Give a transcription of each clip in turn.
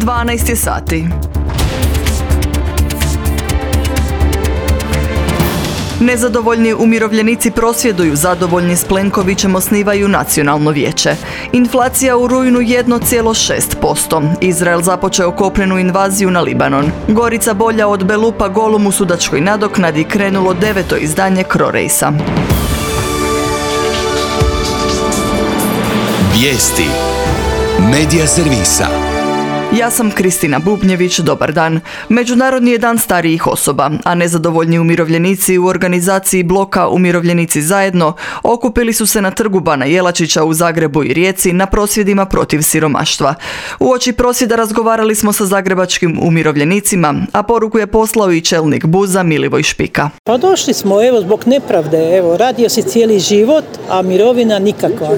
12 je sati. Nezadovoljni umirovljenici prosvjeduju, zadovoljni s Plenkovićem osnivaju nacionalno vijeće. Inflacija u rujnu 1,6%. Izrael započeo kopnenu invaziju na Libanon. Gorica bolja od Belupa golom u sudačkoj nadoknadi krenulo 9. izdanje Crorejsa. Vijesti Medija servisa. Ja sam Kristina Bubnjević, dobar dan. Međunarodni je dan starijih osoba, a nezadovoljni umirovljenici u organizaciji bloka Umirovljenici zajedno okupili su se na trgu Bana Jelačića u Zagrebu i Rijeci na prosvjedima protiv siromaštva. Uoči prosvjeda razgovarali smo sa zagrebačkim umirovljenicima, a poruku je poslao i čelnik BUZ-a Milivoj Špika. Pa došli smo zbog nepravde, radio si cijeli život, a mirovina nikakva.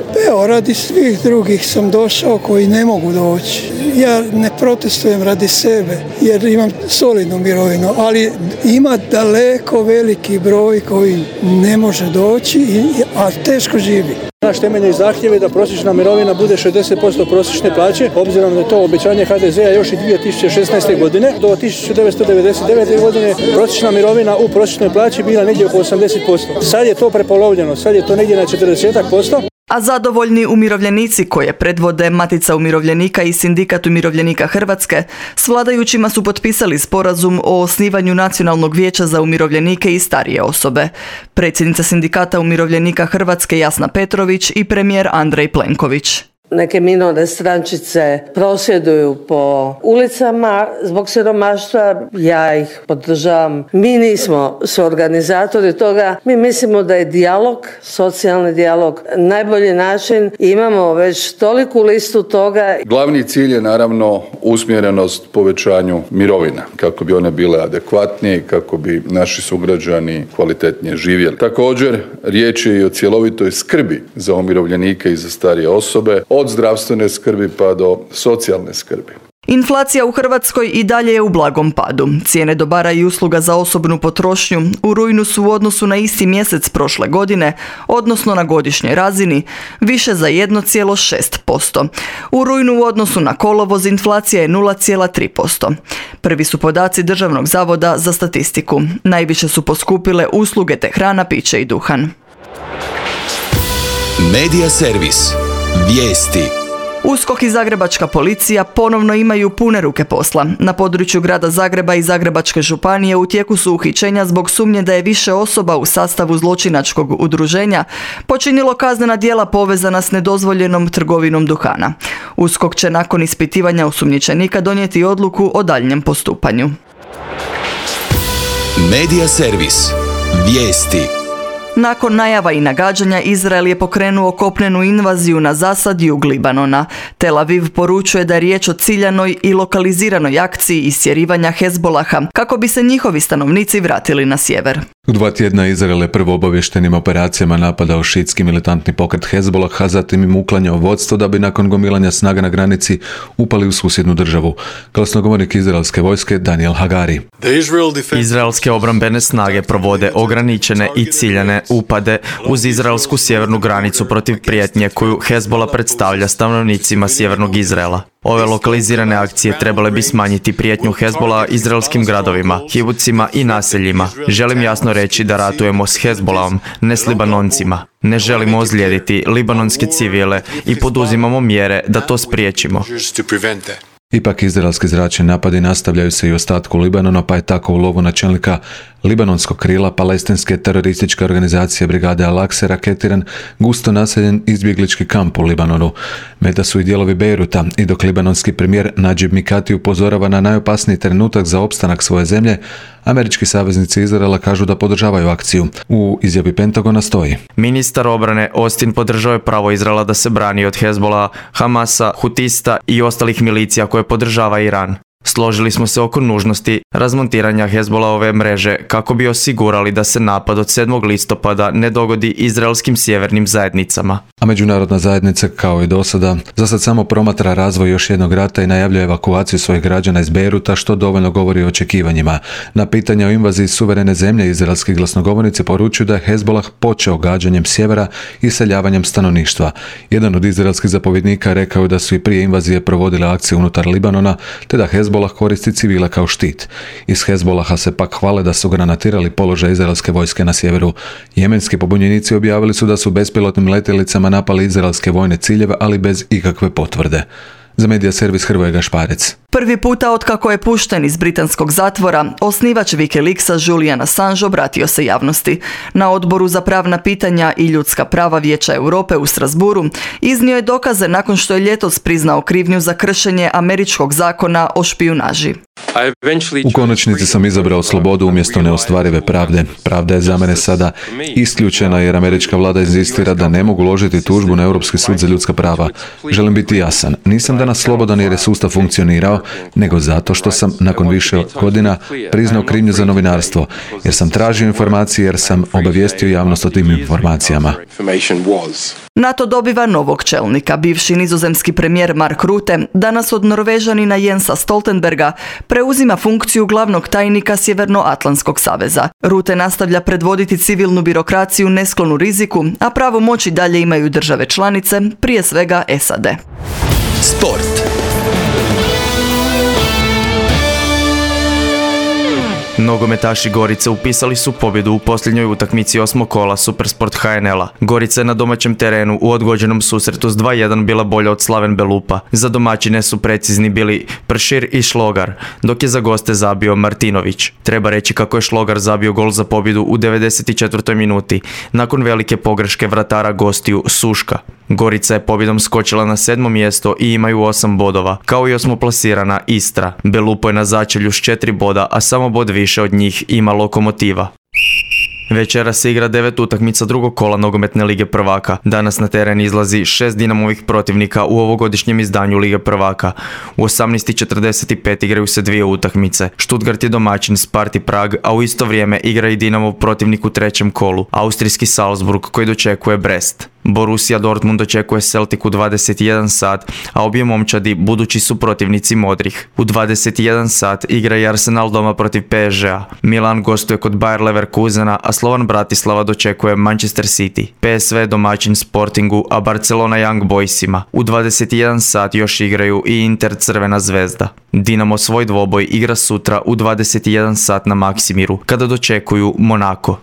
Radi svih drugih sam došao koji ne mogu doći. Ja ne protestujem radi sebe jer imam solidnu mirovinu, ali ima daleko veliki broj koji ne može doći, a teško živi. Naš temeljni zahtjev je da prosječna mirovina bude 60% prosječne plaće, obzirom da je to obećanje HDZ-a još i 2016. godine. Do 1999. godine prosječna mirovina u prosječnoj plaći bila negdje oko 80%. Sad je to prepolovljeno, sad je to negdje na 40%. A zadovoljni umirovljenici koje predvode Matica umirovljenika i Sindikat umirovljenika Hrvatske s vladajućima su potpisali sporazum o osnivanju Nacionalnog vijeća za umirovljenike i starije osobe. Predsjednica Sindikata umirovljenika Hrvatske Jasna Petrović i premijer Andrej Plenković. Neke minorne strančice prosvjeduju po ulicama zbog siromaštva, ja ih podržavam. Mi nismo suorganizatori toga, mi mislimo da je dijalog, socijalni dijalog, najbolji način. Imamo već toliku listu toga. Glavni cilj je naravno usmjerenost povećanju mirovina, kako bi one bile adekvatnije i kako bi naši sugrađani kvalitetnije živjeli. Također, riječ je i o cjelovitoj skrbi za umirovljenike i za starije osobe, od zdravstvene skrbi pa do socijalne skrbi. Inflacija u Hrvatskoj i dalje je u blagom padu. Cijene dobara i usluga za osobnu potrošnju u rujnu su u odnosu na isti mjesec prošle godine, odnosno na godišnjoj razini, više za 1,6%. U rujnu u odnosu na kolovoz inflacija je 0,3%. Prvi su podaci Državnog zavoda za statistiku. Najviše su poskupile usluge te hrana, piće i duhan. Medija servis. Vijesti. USKOK i zagrebačka policija ponovno imaju pune ruke posla. Na području grada Zagreba i Zagrebačke županije u tijeku su uhićenja zbog sumnje da je više osoba u sastavu zločinačkog udruženja počinilo kaznena djela povezana s nedozvoljenom trgovinom duhana. USKOK će nakon ispitivanja osumnjičenika donijeti odluku o daljnjem postupanju. Medija servis. Vijesti. Nakon najava i nagađanja, Izrael je pokrenuo kopnenu invaziju na zasad jug Libanona. Tel Aviv poručuje da je riječ o ciljanoj i lokaliziranoj akciji istjerivanja Hezbolaha, kako bi se njihovi stanovnici vratili na sjever. U 2 tjedna Izrael je prvo obavještenim operacijama napadao šiitski militantni pokret Hezbolah, a zatim im uklanjao vodstvo da bi nakon gomilanja snaga na granici upali u susjednu državu. Glasnogovornik izraelske vojske Daniel Hagari. Izraelske obrambene snage provode ograničene i ciljane upade uz izraelsku sjevernu granicu protiv prijetnje koju Hezbolah predstavlja stanovnicima sjevernog Izraela. Ove lokalizirane akcije trebale bi smanjiti prijetnju Hezbolah izraelskim gradovima, kibucima i naseljima. Želim jasno reći da ratujemo s Hezbolahom, ne s Libanoncima. Ne želimo ozlijediti libanonske civile i poduzimamo mjere da to spriječimo. Ipak izraelski zračni napadi nastavljaju se i u ostatku Libanona, pa je tako u lovu na čelnika libanonskog krila palestinske terorističke organizacije Brigade Al-Aqsa raketiran gusto naseljen izbjeglički kamp u Libanonu. Meta su i dijelovi Bejruta i dok libanonski premijer Nadžib Mikati upozorava na najopasniji trenutak za opstanak svoje zemlje, američki saveznici Izraela kažu da podržavaju akciju. U izjavi Pentagona stoji: Ministar obrane Austin podržao je pravo Izraela da se brani od Hezbolah, Hamasa, Hutista i ostalih milicija koje podržava Iran. Složili smo se oko nužnosti razmontiranja Hezbolahove mreže kako bi osigurali da se napad od 7. listopada ne dogodi izraelskim sjevernim zajednicama. A međunarodna zajednica, kao i do sada, za sad samo promatra razvoj još jednog rata i najavljuje evakuaciju svojih građana iz Bejruta, što dovoljno govori o očekivanjima. Na pitanje o invaziji suverene zemlje, izraelski glasnogovornici poručuju da je Hezbolah počeo gađanjem sjevera i iseljavanjem stanovništva. Jedan od izraelskih zapovjednika rekao je da su i prije invazije provodile akcije unutar Libanona, te da Hezbolah koristi civile kao štit. Iz Hezbolaha se pak hvale da su granatirali položaj izraelske vojske na sjeveru. Jemenski pobunjenici objavili su da su bespilotnim letjelicama napali izraelske vojne ciljeve, ali bez ikakve potvrde. Za medija servis Hrvoje Gašparec. Prvi puta otkako je pušten iz britanskog zatvora, osnivač Wikileaksa Julian Assange obratio se javnosti. Na Odboru za pravna pitanja i ljudska prava Vijeća Europe u Strasburu iznio je dokaze nakon što je ljetos priznao krivnju za kršenje američkog zakona o špijunaži. U konačnici sam izabrao slobodu umjesto neostvarive pravde. Pravda je za mene sada isključena jer američka vlada inzistira da ne mogu uložiti tužbu na Europski sud za ljudska prava. Želim biti jasan. Nisam danas slobodan jer je sustav funkcionirao, nego zato što sam nakon više godina priznao krivnju za novinarstvo, jer sam tražio informacije, jer sam obavijestio javnost o tim informacijama. NATO dobiva novog čelnika. Bivši nizozemski premijer Mark Rutte danas od Norvežanina Jensa Stoltenberga preuzima funkciju glavnog tajnika Sjevernoatlantskog saveza. Rutte nastavlja predvoditi civilnu birokraciju nesklonu riziku, a pravo moći dalje imaju države članice, prije svega SAD. Sport. Nogometaši Gorice upisali su pobjedu u posljednjoj utakmici 8. kola Supersport HNL-a. Gorica je na domaćem terenu u odgođenom susretu s 2:1 bila bolja od Slaven Belupa. Za domaćine su precizni bili Pršir i Šlogar, dok je za goste zabio Martinović. Treba reći kako je Šlogar zabio gol za pobjedu u 94. minuti, nakon velike pogreške vratara gostiju Suška. Gorica je pobjedom skočila na 7. mjesto i imaju 8 bodova, kao i 8. plasirana Istra. Belupo je na začelju s 4 boda, a samo bod više od njih ima Lokomotiva. Večera se igra 9 utakmica drugog kola nogometne Lige prvaka. Danas na teren izlazi 6 Dinamovih protivnika u ovogodišnjem izdanju Lige prvaka. U 18:45 igraju se 2 utakmice. Stuttgart je domaćin Sparti Prag, a u isto vrijeme igra i Dinamov protivnik u 3. kolu, austrijski Salzburg koji dočekuje Brest. Borussia Dortmund dočekuje Celtic u 21 sat, a obje momčadi budući su protivnici modrih. U 21 sat igra i Arsenal doma protiv PSG-a. Milan gostuje kod Bayer Leverkusena, a Slovan Bratislava dočekuje Manchester City. PSV domaćin Sportingu, a Barcelona Young Boysima. U 21 sat još igraju i Inter Crvena zvezda. Dinamo svoj dvoboj igra sutra u 21 sat na Maksimiru, kada dočekuju Monako.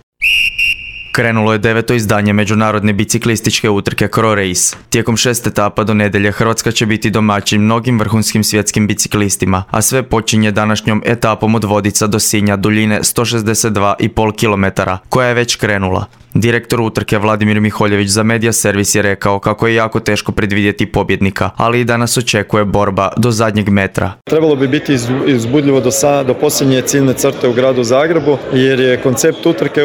Krenulo je 9. izdanje međunarodne biciklističke utrke Kro Race. Tijekom 6 etapa do nedjelje Hrvatska će biti domaćin mnogim vrhunskim svjetskim biciklistima, a sve počinje današnjom etapom od Vodica do Sinja duljine 162,5 km, koja je već krenula. Direktor utrke Vladimir Miholjević za Medija servis je rekao kako je jako teško predvidjeti pobjednika, ali i danas očekuje borba do zadnjeg metra. Trebalo bi biti uzbudljivo do posljednje ciljne crte u gradu Zagrebu, jer je koncept utrke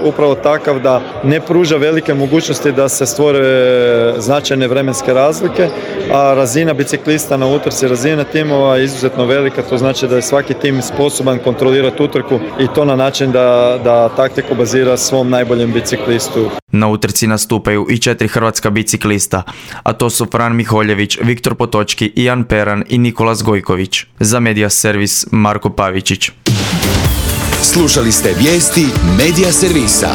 upravo takav da ne pruža velike mogućnosti da se stvore značajne vremenske razlike, a razina biciklista na utrci, razina timova je izuzetno velika, to znači da je svaki tim sposoban kontrolirati utrku i to na način da taktiku bazira svom najboljem biciklistu. Na utrci nastupaju i 4 hrvatska biciklista, a to su Fran Miholjević, Viktor Potočki, Ian Peran i Nikolas Gojković. Za Medija servis Marko Pavičić. Slušali ste vijesti Medija servisa.